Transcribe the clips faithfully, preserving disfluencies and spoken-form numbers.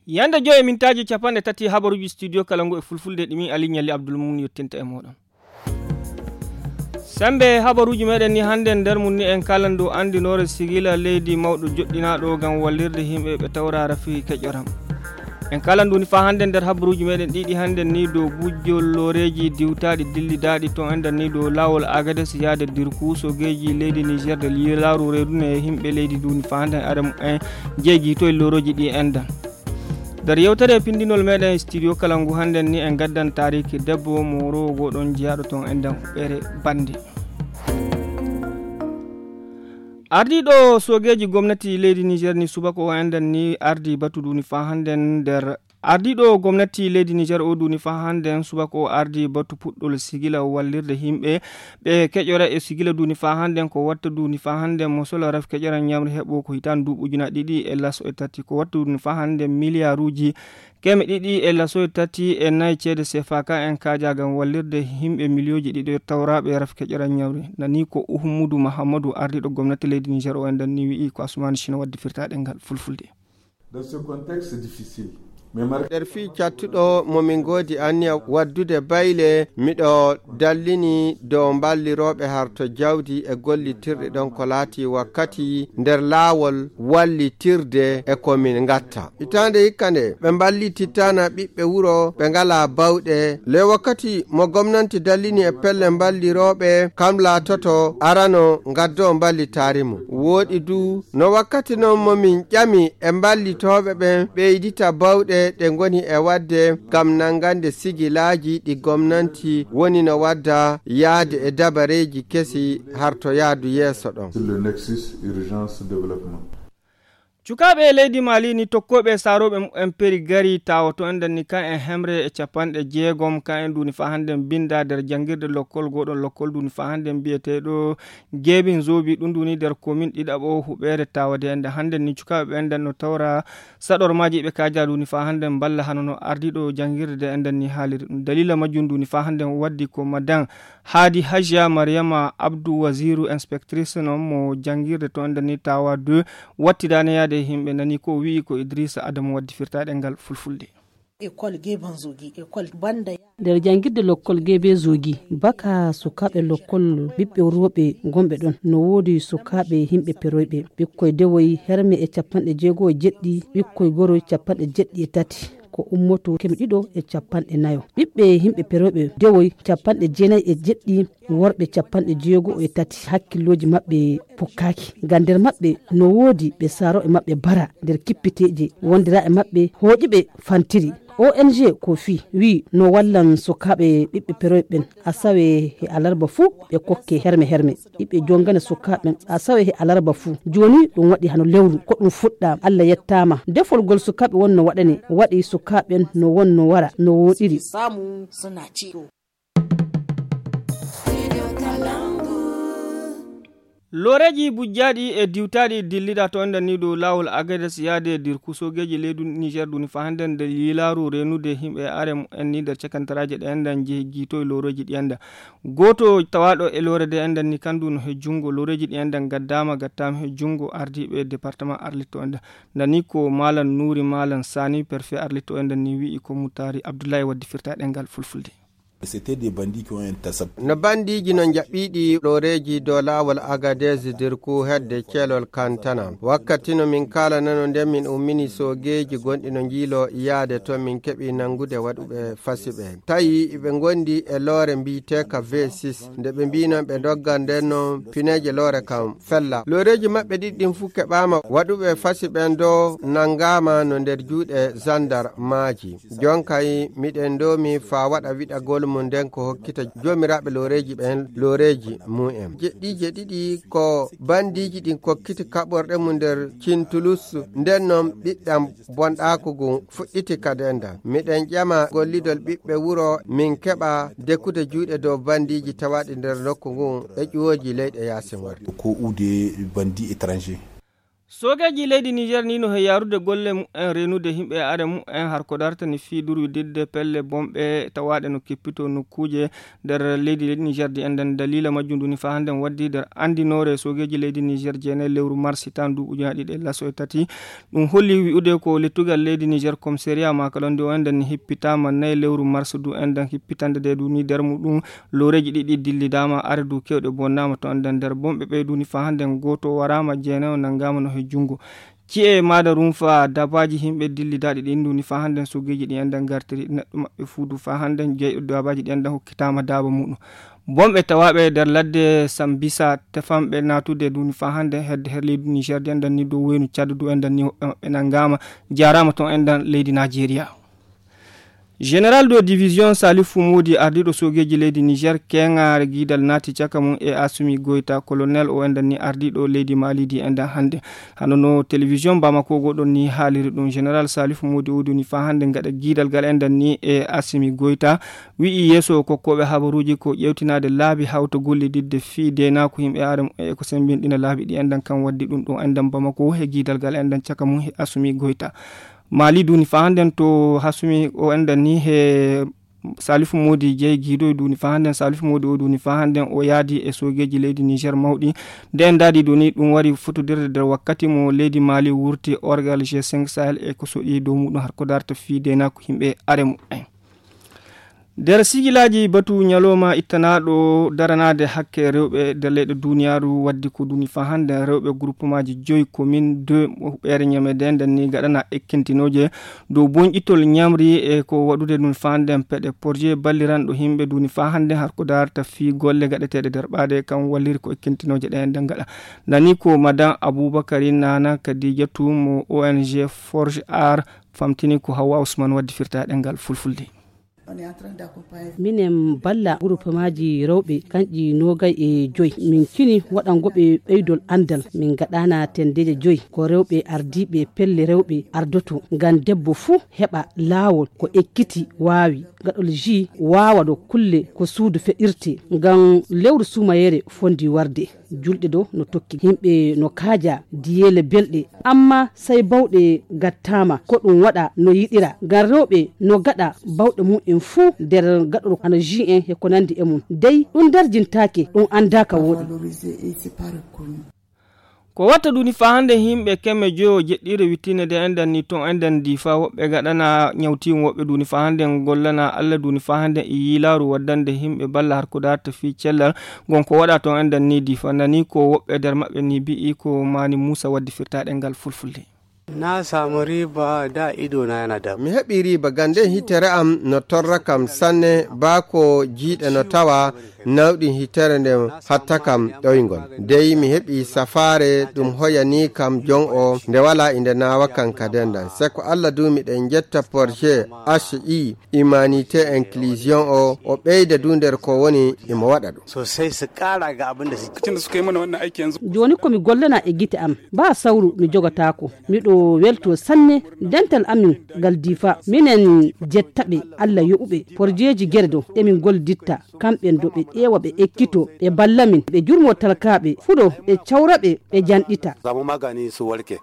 Yande joyi e mintaaji capanɗe tati habaruuji studio kala ngu e fulfulde ɗi min Ali Ɲalli Abdul Mumin yottinta e mooɗon. Sembe habaruuji meɗen ni hannde nder mum ni en kalan dow anndinoore sigila leydi mawɗo joɗɗinaaɗo ngam wallirde yimɓe ɓe tawra rafi keƴoram. En kalan ɗum ni faa hannde nder habaruuji meɗen ɗiɗi hannde ni dow gujjol looreeji diwtaaɗi dillidaaɗi toon enɗan ni dow laawol Agades yaade Dirku sogeeji leydi Niger de lilaaru reedune e yimɓe leydi nduni faa hannde are mumen jeegi to e loorooji ɗi enɗan. Nder yewtere pindinol meɗen studio kala ngu hannde ni en gaddan taariki debbo mo rowogoo ɗon jeyaaɗo toon enɗan huɓɓere bannde. Ardiiɗo sogeeji gomnati leydi Niger ni subaka o enɗan ni ardi batu nduni faa hannde nder ardiiɗo gomnati leydi Niger o nduni faa hannde subaka o ardi batu puɗɗol sigila wallirde yimɓe ɓe keƴora e sigila nduni faa hannde ko watta nduni faa hannde mo sola raf keƴora ñamri heɓo ko hitaan duuɓi ujuna ɗiɗi e laso e tati ko watta nduni faa hannde miliyaaruuji keme ɗiɗi e laso e tati e nayi ceede sefa ka en kaaja ngam wallirde yimɓe miliyooji ɗiɗi tawraaɓe raf keƴora ñamri nani ko Uhmudu Mahammadu ardiiɗo gomnati leydi Niger o enɗan ni wi'i ko Asumaani Sino waddi firtaaɗe ngal fulfulde. Dans ce contexte difficile, mais mar- nder fii cattuɗo mo min ngoodi anniya waddude bayle, miɗo dallini dow mballirooɓe harto jawdi e gollitirɗe ɗon ko laati wakkati nder laawol wallitirde e ko min ngatta. Hitaande hikka nde ɓe mballitittaana ɓiɓɓe wuro ɓe ngalaa bawɗe. Le wakkati mo gomnanti dallini e pelle mballirooɓe, kam laatoto arano ngaddoo mballitaari mum. Wooɗi du no wakkati noon mo min ƴami e mballitooɓe ɓen ɓeydita bawɗe ɗe ngoni e waɗde ngam nanngande sigilaaji ɗi gomnanti woni no wadda yahde e dabareeji kesi harto yahdu yeeso ɗon. Sur le nexus urgence développement. Cukaaɓe leydi Mali ni tokkooɓe saarooɓe mumen peri gari tawoto enɗan ni ka en hemre e capanɗe jeegom ka en nduni faa hannde mbinnda nder janngirde lokkol gooɗon lokkol nduni faa hannde mbiyeteeɗo Geebin Zoobi ɗum nduni nder komin ɗiɗaɓo huɓeere tawade enɗan hannde ni cukaaɓe ɓe enɗan no tawra saɗormaaji ɓe kaaja nduni faa hannde mballa hano no ardiiɗo janngirde de enɗan ni haaliri ɗum dalila majjum nduni faa hannde waddi ko madan Haadi Hajiya Mariama Abdu Waziru inspectrice noon mo janngirde to enɗan ni tawa deux wattidaane yaade e yimɓe nani ko wi'i ko Idrissa Adamu waddi firtaaɗe ngal fulfulde. École Gebanzogi, école banda ya- nder janngirde lokkol Gebezogi baka sukaaɓe lokkol ɓiɓɓe rooɓe gonɓe ɗon no woodi sukaaɓe yimɓe peroyɓe ɓikkoy dewoy herme e capanɗe jeego e jeɗɗi ɓikkoy goroy capanɗe jeɗɗi e tati ko ummoto keme ɗiɗo e capanɗe nayo ɓiɓɓe yimɓe peroyɓe dewoy capanɗe jeenayi e jeɗɗi worɓe capanɗe jeego e tati hakkillooji maɓɓe pukkaaki ngam nder maɓɓe no woodi ɓe saarooɓe maɓɓe bara nder kippiteeje wondiraaɓe maɓɓe hooƴuɓe fantiri. O N G ko fii wi'i no wallan sukaaɓe ɓiɓɓe peroy ɓen a sawe he alarba fuu ɓe kokke herme herme ɓiɓɓe jongana sukaaɓe ɓen a sawe he alarba fuu jooni ɗum waɗi hano lewru ko ɗum fuɗɗaama Allah yettaama defol ngol sukaaɓe won no waɗane waɗi sukaaɓe ɓen no won no wara no wooɗiri. Looreeji bujjaaɗi e diwtaaɗi dilliɗa to enɗan ni dow laawol Agades yaade e Dirku soogeeji leydi Niger duni faa hannde nde yilaaru reenude yimɓe are mumen ni nder cakantaraaji ɗe enɗan jehi jiitoy looreeji ɗi enɗan gooto tawaaɗo e loore de enɗan ni kandu no he junngo looreeji ɗi enɗan gaddaama gattaama he junngo ardiiɓe département arlitto enɗan nani ko maalan nuuri maalan saani perfet arlitto enɗan ni wi'i ko mutaari Abdullahi waddi firtaaɗe ngal fulfulde. C'était des bandits qui ont intercepté. No bandiiji no njaɓɓiiɗi ɗooreeji dow laawol Agadez Dirku hedde ceelol Kantana. Wakkati no min kaalanano nden min ummini soogeeji gonɗi no njiiloo yaade toon min keɓi nanngude waɗuɓe fasi ɓe. Tawi iɓe ngondi e loore mbiyeteeka V six. Nde ɓe mbiinon ɓe ndoggan nden noon pineeje loore kam fella. Looreeji maɓɓe ɗiɗi ɗin fuu keɓaama waɗuɓe fasi ɓen doo nanngaama no nder juuɗe zandarmaaji. Jonkay miɗen ndoomi faa waɗa wiɗagol mum nden ko hokkita joomiraaɓe looreeji ɓen looreeji mum en. Jeɗɗiije ɗiɗi ko bandiiji ɗin kokkiti kaɓorɗe mum nder Cintulus nden non ɓiɗɗam bonɗaaku ngun fuɗɗiti ka denda. Miɗen ƴama gollidol ɓiɓɓe wuro min keɓa dekkude juuɗe dow bandiiji tawaaɗi nder nokku ngun e ƴuwooji leyɗe yaasin warde. Ko uude bandi étranger. Soogeeji leydi Niger ni no he yaarude golle mumen reenude yimɓe e are mumen har ko dartani fii durwididde pelle bonɓe tawaaɗe no kippito nokkuuje nder leydi Niger. Di enɗan daliila majjum ndu ni faa hannden waddi nder anndinoore soogeeji leydi Niger jeenayi lewru mars hitaan ndu ujunaaji ɗiɗi e laso e tati. Ɗum holli wi'ude ko lettugal leydi Niger commissariat makalonde o enɗan ni hippitaama nayi lewru mars ndu enɗan hippitande nde ndu ni nder muɗum looreeji ɗiɗi dillidaama are ndu kewɗe bonnaama to enɗan nder bonɓe ɓeydu ni faa hannden gooto waraama jeenayo nanngaama no he junngo. Ci'e maada rumfa dabaaji yimɓe dillidaaɗi ɗin ndu ni faa hannden soogeeji ɗi enɗan ngartiri neɗɗo maɓɓe fuudu faa hannden jeyɗo dabaaji ɗi enɗan hokkitaama daaba muɗum. Bonɓe tawaaɓe nder ladde Sambisa tefanɓe naatude ndu ni faa hannden hedde her leydi Niger di enɗan ni dow weynu Cad du enɗan ni woɓɓe maɓɓe nanngaama jaaraama ton enɗan leydi Najeriya. Général de division Salifu Modi ardiiɗo soogeeji leydi Niger keŋaare giidal naati caka mum e Asumi Goyta colonel o enɗan ni ardiiɗo leydi Mali di enɗan hannde. Hano no télévision Bamako goɗon ni haaliri ɗum général Salifu Modi o duni faa hannde gaɗa giidal gal enɗan ni e Asumi Goyta wi'i yeeso kokkooɓe habaruuji ko ƴeewtinaade laabi hawta gollididde fii deenaaku yimɓe are e ko semmbinɗina laabi ɗi enɗan kan waddi ɗum ɗo enɗan Bamako he giidal gal enɗan caka mum he Asumi Goyta. Mali duni faa hannden to Asumi o enɗan ni he Salifu Modi jeyi giido duni faa hannden Salifu Modi o duni faa hannden o yaadi e soogeeji leydi Niger mawɗi. Nde en daadi duni ɗum wari fotodirde nder wakkati mo leydi Mali wurti orgal G cinq Sahel e ko soƴi dow muɗum har ko darta fii deenaaku yimɓe are mumen. Nder sigilaaji batu ñalooma ittanaaɗo daranaade hakke rewɓe nder leyɗe duniyaaru waddi ko duni faa hannden rewɓe groupemaaji joyi commune deux ɓeere ñamede nden ni gaɗana ekkintinooje dow bonƴitol ñamri e ko waɗude ɗum faa hannden peɗe projet balliranɗo yimɓe duni faa hannden har ko darta fii golle gaɗeteeɗe nder ɓaade kam walliri ko ekkintinooje ɗe nden gaɗa. Nani ko madame Aboubakari Nana Kadijatu mo O N G Forge Art famtini ko Hawa Ousmane waddi firta ɗengal fulfulde. Minen balla groupemaaji rewɓe kanƴi noogay e joyi. Min cini waɗango ɓe ɓeydol anndal. Min ngaɗana tendeeje joyi. Ko rewɓe ardiiɓe pelle rewɓe ardoto. Ngam debbo fuu heɓa laawol ko ekkiti waawi. Gaɗol ji waawa ɗo kulle ko suudu feɗirte. Ngam lewru suumayeere fondi warde. Julɗe ɗo no tokki. Yimɓe no kaaja diyeele belɗe. Amma sey bawɗe gattaama. Ko ɗum waɗa no yiɗira. Ngam rewɓe no gaɗa bawɗe mum en fuu nder gaɗol ana ji en e ko nandi e mum. Dey ɗum darjintaake, ɗum anndaaka wooɗi. Ko watta duni faa hannde yimɓe kemme joyo jeɗɗiire wittine nde enɗan ni ton enɗan di faa woɓɓe gaɗana ñawtiiŋ woɓɓe duni faa hannde gollana Alla duni faa hannde e yiilaaru waddande yimɓe balla har ko darta fii cellal ngon ko waɗa ton enɗan ni di faa nani ko woɓɓe nder maɓɓe ni bi'i ko maani Muusa waddi firta ɗengal fulfulde. Na samu riba da ido na yana da. Mi heɓi riba gande hitere am no torra kam sanne baa ko jiiɗe no tawa nawɗi hitere nde hatta kam ɗoyngol. Dey mi heɓi safaare ɗum hoyani kam jon o nde wala inde naawa kan kadendan. Seko Alla du miɗen jetta projet H I humanité inclusion o o ɓeyda du nder ko woni imo waɗa ɗum. Sosai su ƙara ga abin da suke. Lokacin da suka yi mana wannan aiki yanzu. Jooni ko mi gollana e gite am, baa sawru mi jogataako. Miɗo welto sanne dental amin ngal difa. Minen jetta ɓe Alla yoɓuɓe porjeeji gere ɗo emin golliditta kamɓen ɗo ɓe ƴeewa ɓe ekkito ɓe balla min ɓe jurmo talkaaɓe fuɗo ɓe cawra ɓe ɓe janɗita. Samu magani su warke.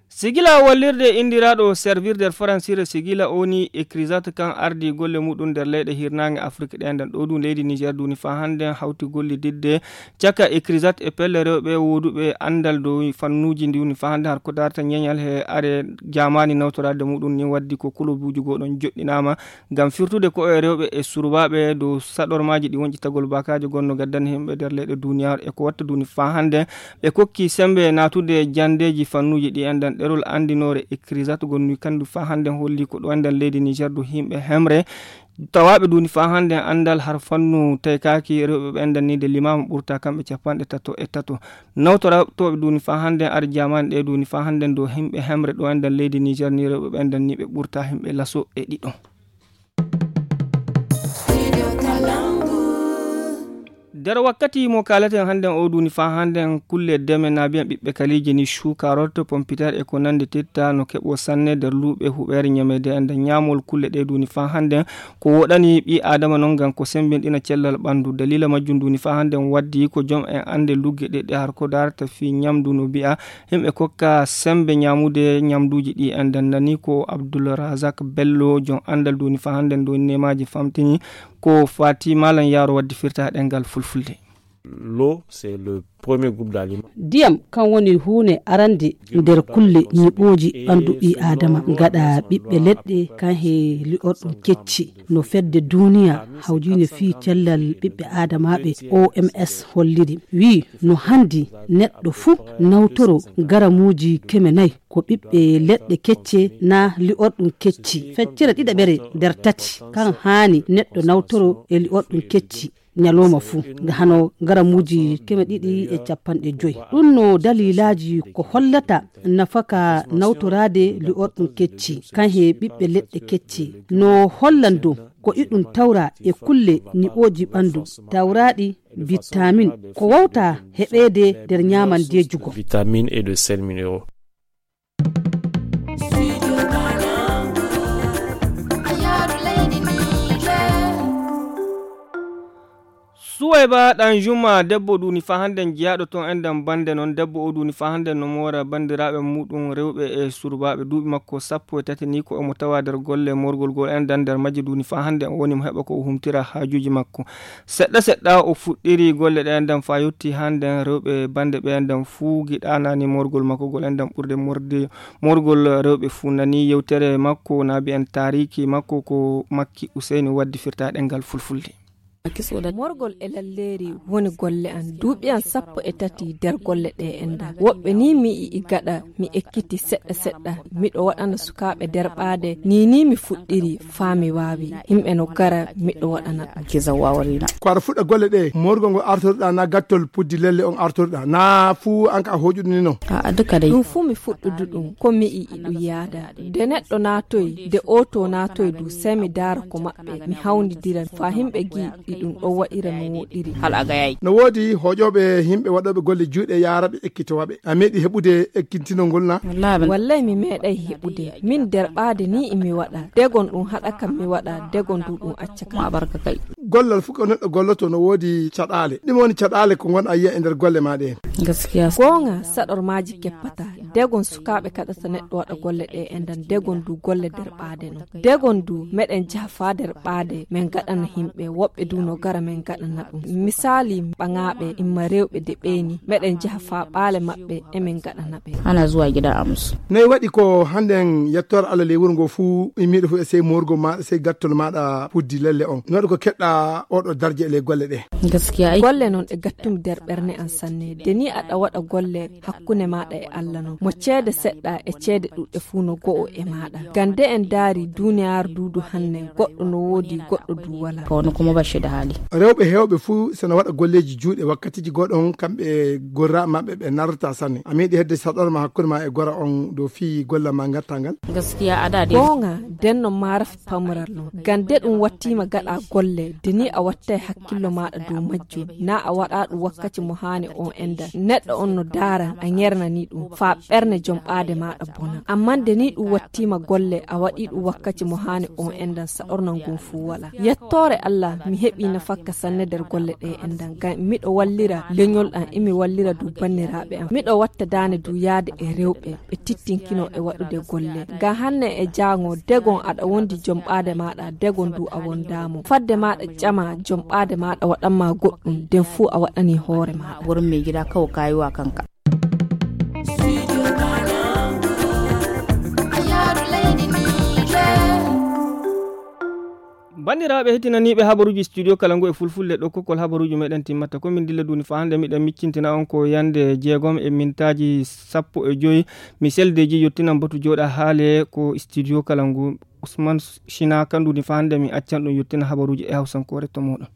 Sigila wallirde inndiraaɗo servir nder faransire sigila o ni Ecrisat kan ardi golle muɗum nder leyɗe hirnaange Afrik ɗe nden ɗo ɗum leydi Niger duni faa hannde hawti gollididde caka Ecrisat e pelle rewɓe wooduɓe anndal dow fannuuji ndi woni faa hannde har ko darta ñeñal he are jaamaani nawtoraade muɗum ni waddi ko kulubuuji goo ɗon joɗɗinaama ngam firtude ko e rewɓe e surbaaɓe dow saɗormaaji ɗi wonƴitagol bakaaje gonno gaddani himɓe nder leyɗe duniyaaru e ko watta duni faa hannde ɓe kokki sembe naatude janndeeji fannuuji ɗi enden ɗerol anndinoore Ecrisat gonnuy kandu faa hannde holli ko ɗo enden leydi Niger du himɓe hemre tawaaɓe duni faa hannde anndal har fannu taykaaki rewɓe ɓe enden ni de limaama ɓurta kamɓe capanɗe tato e tato nawtoraɓe tooɓe duni faa hannde ar jaamaani ɗe duni faa hannde do himɓe hemre ɗo enden leydi Niger ni rewɓe ɓe enden ni ɓe ɓurta himɓe laso e ɗiɗo. Nder wakkati mo kaalaten hannden o duuni faa hannden kulle deme na mbiyan ɓiɓɓe kaliije ni shukarot, pompiter e ko nanndi titta no keɓo sanne nder luuɓe huɓeere ñameede e nder ñaamol kulle ɗe duuni faa hannden ko woɗani ɓii aadama non ngam ko semmbinɗina cellal ɓanndu. Daliila majjum duuni faa hannden waddi ko jom en annde lugge ɗe ɗe har ko darata fii ñamdu no mbi'a yimɓe kokka semmbe ñaamude ñamduuji ɗi en nden nani ko Abdul Razak Bello jom anndal duuni faa hannden dooni nemaaji famtini ko fati malam yaro waddi firta ɗengal fulfulde. L'eau, c'est le premier groupe d'aliments. Ndiyam kan woni huunde arande nder kulle ñiɓooji ɓanndu ɓii aadama. Gaɗa ɓiɓɓe leɗɗe kan he li'orɗum kecci no fedde duniya hawjine fii cellal ɓiɓɓe aadamaaɓe O M S holliri wii no hanndi neɗɗo fuu nawtoro garamuuji keme nay ko ɓiɓɓe leɗɗe kecce na li'orɗum kecci. Feccere ɗiɗaɓere nder tati kan haani neɗɗo nawtoro e li'orɗum kecci ñalooma fuu, nga hano garamuuji keme ɗiɗi e cappanɗe joy. Ɗum no daliilaaji ko hollata nafaka nawtoraade li'orɗum kecci kan he ɓiɓɓe leɗɗe kecci. No hollan dow ko iɗum tawra e kulle niɓooji ɓanndu tawraaɗi vitamin ko wawta heɓeede nder ñaamandeejugo. Vitamines et de sels minéraux. Suwayba ɗan juma debbo ɗuni fa hannden jeyaaɗo ton enɗan bannde non debbo o ɗuni fa hannden no moora banndiraaɓe muɗum rewɓe e surbaaɓe duuɓi makko sappo e tati ni ko omo tawa nder golle morgol gol enɗan nder majje ɗuni fa hannden o woni mo heɓa ko o humtira haajuuji makko. Seɗɗa seɗɗa o fuɗɗiri golle ɗe enɗan fa yotti hannden rewɓe bannde ɓe enɗan fuu giɗanani morgol makko gol enɗan ɓurde morde morgol rewɓe fuu nani yewtere makko na mbiyen taariki makko ko makki useyni waddi firta ɗengal fulfulde. Morgol e lalleeri woni golle an duuɓi an sappo e tati nder golle ɗe enɗan woɓɓe ni mi yi'i gaɗa mi ekkiti seɗɗa seɗɗa miɗo waɗana sukaaɓe derɓaade ni ni mi fuɗɗiri faa mi waawi yimɓe no gara miɗo waɗana ɗum. Ko aɗa fuɗɗa golle ɗe morgol ngol artorɗa na gattol puddi lelle on artorɗa na fuu an ka a hoƴuɗo ni non. A'a duka dey. Ɗum fuu mi fuɗɗudu ɗum ko mi yi'i ɗum yaada. Nde neɗɗo naatoyi nde oto naatoyi du sey mi daara ko maɓɓe mi hawndidira faa himɓe gi'i ɗi ɗum ɗon waɗira no woɗiri. Hal a gayayi. No woodi hoƴooɓe himɓe waɗooɓe golle juuɗe yaaraɓe ekkitowaɓe a meeɗi heɓude ekkintinol ngol na? Wallaahi mi meeɗay heɓude min derɓaade ni imi waɗa degon ɗum haɗa kam mi waɗa degon du ɗum acca kam. Gollal fof ko neɗɗo golloto no woodi caɗaale ɗum woni caɗaale ko ngon a yiya e nder golle ma ɗe. Goonga saɗormaaji keppata degon sukaaɓe kaɗata neɗɗo waɗa golle ɗe enɗan degon du golle derɓaade non degon du meɗen jaha faa derɓaade min gaɗana himɓe woɓɓe du no gara min gaɗana ɗum misaali ɓaŋaaɓe imma rewɓe de ɓeyni meɗen jaha faa ɓaale maɓɓe emin gaɗana ɓe. Ana zuwa gida amus. Nayi waɗi ko hannden yettoore allah ley wuro ngo fuu immiiɗo fof e sey morgo maɗa sey gattol maɗa puddi lelle on no waɗi ko keɗɗa oɗo darje e ley golle ɗe. Gaskiya ay golle non ɗe gattumi nder ɓerne an sanne de ni aɗa waɗa golle hakkunde maɗa e allah non mo ceede seɗɗa e ceede ɗuɗɗe fuu no go'o e maɗa gam de en daari duniyaaru duudu hanne goɗɗo no woodi goɗɗo du wala. Ko woni ko mo bashida haali. Rewɓe heewɓe fuu sena waɗa golleeji juuɗe wakkatiiji goɗon kamɓe gorra maɓɓe ɓe narrata sanne a meeɗi hedde saɗorma hakkunde ma e gora on dow fii golla ma ngarta ngal. Gaskiya ada de. Goonga denno maaraf pamural non gam de ɗum wattiima gaɗa golle de ni a wattay hakkillo maɗa dow majjum na a waɗa ɗum wakkati mo haani on enɗan neɗɗo on no daara a ŋernani ɗum faa ɓerne jom ɓaade maɗa bona amma de ni ɗum wattiima golle a waɗi ɗum wakkati mo haani on enɗan saɗornal ngun fuu wala yettoore allah mi heɓi nafakka sanne nder golle ɗe enɗan gam miɗo wallira leñol am imi wallira du banniraaɓe am miɗo watta daane du yaade e rewɓe ɓe tittinkino e waɗude golle ga hanne e jaango degon aɗa wondi jom ɓaade maɗa degon du a wondaamo fadde maɗa ƴama jom ɓaade maɗa waɗanma goɗɗum den fuu a waɗani hoore maɗa. Wurin mai gida kawai kayi wa kanka. Banndiraaɓe heɗtinaniiɓe habaruuji studio kala ngu e fulfulde ɗo kokkol habaruuji meɗen timmata ko min dilla duuni faa hannde miɗen miccintina on ko yannde jeegom e mintaaji sappo e joy mi seldeji yottinan batu jooɗa haale ko studio kala ngu usman china kan duuni faa hannde mi accan ɗum yottina habaruuji e hawsankoore to moɗon.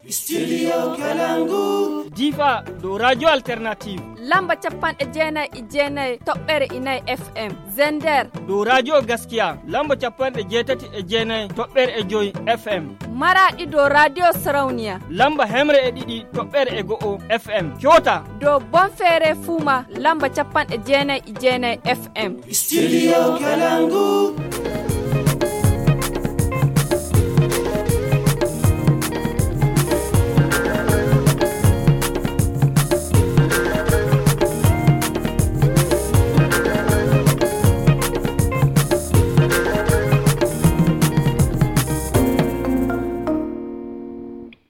Studio Kalangu. Difa dow Radio Alternative. Lamba capanɗe jeenayi e jeenayi toɓɓere inayi F M. Zender. Dow Radio Gaskiya. Lamba capanɗe jeetati e jeenayi toɓɓere e joyi F M. Maraɗi dow Radio Sarauniya. Lamba hemre e ɗiɗi toɓɓere e go'o F M. Kyota. Dow Bonfere Fuma. Lamba capanɗe jeenayi e jeenayi F M. Studio Kalangu.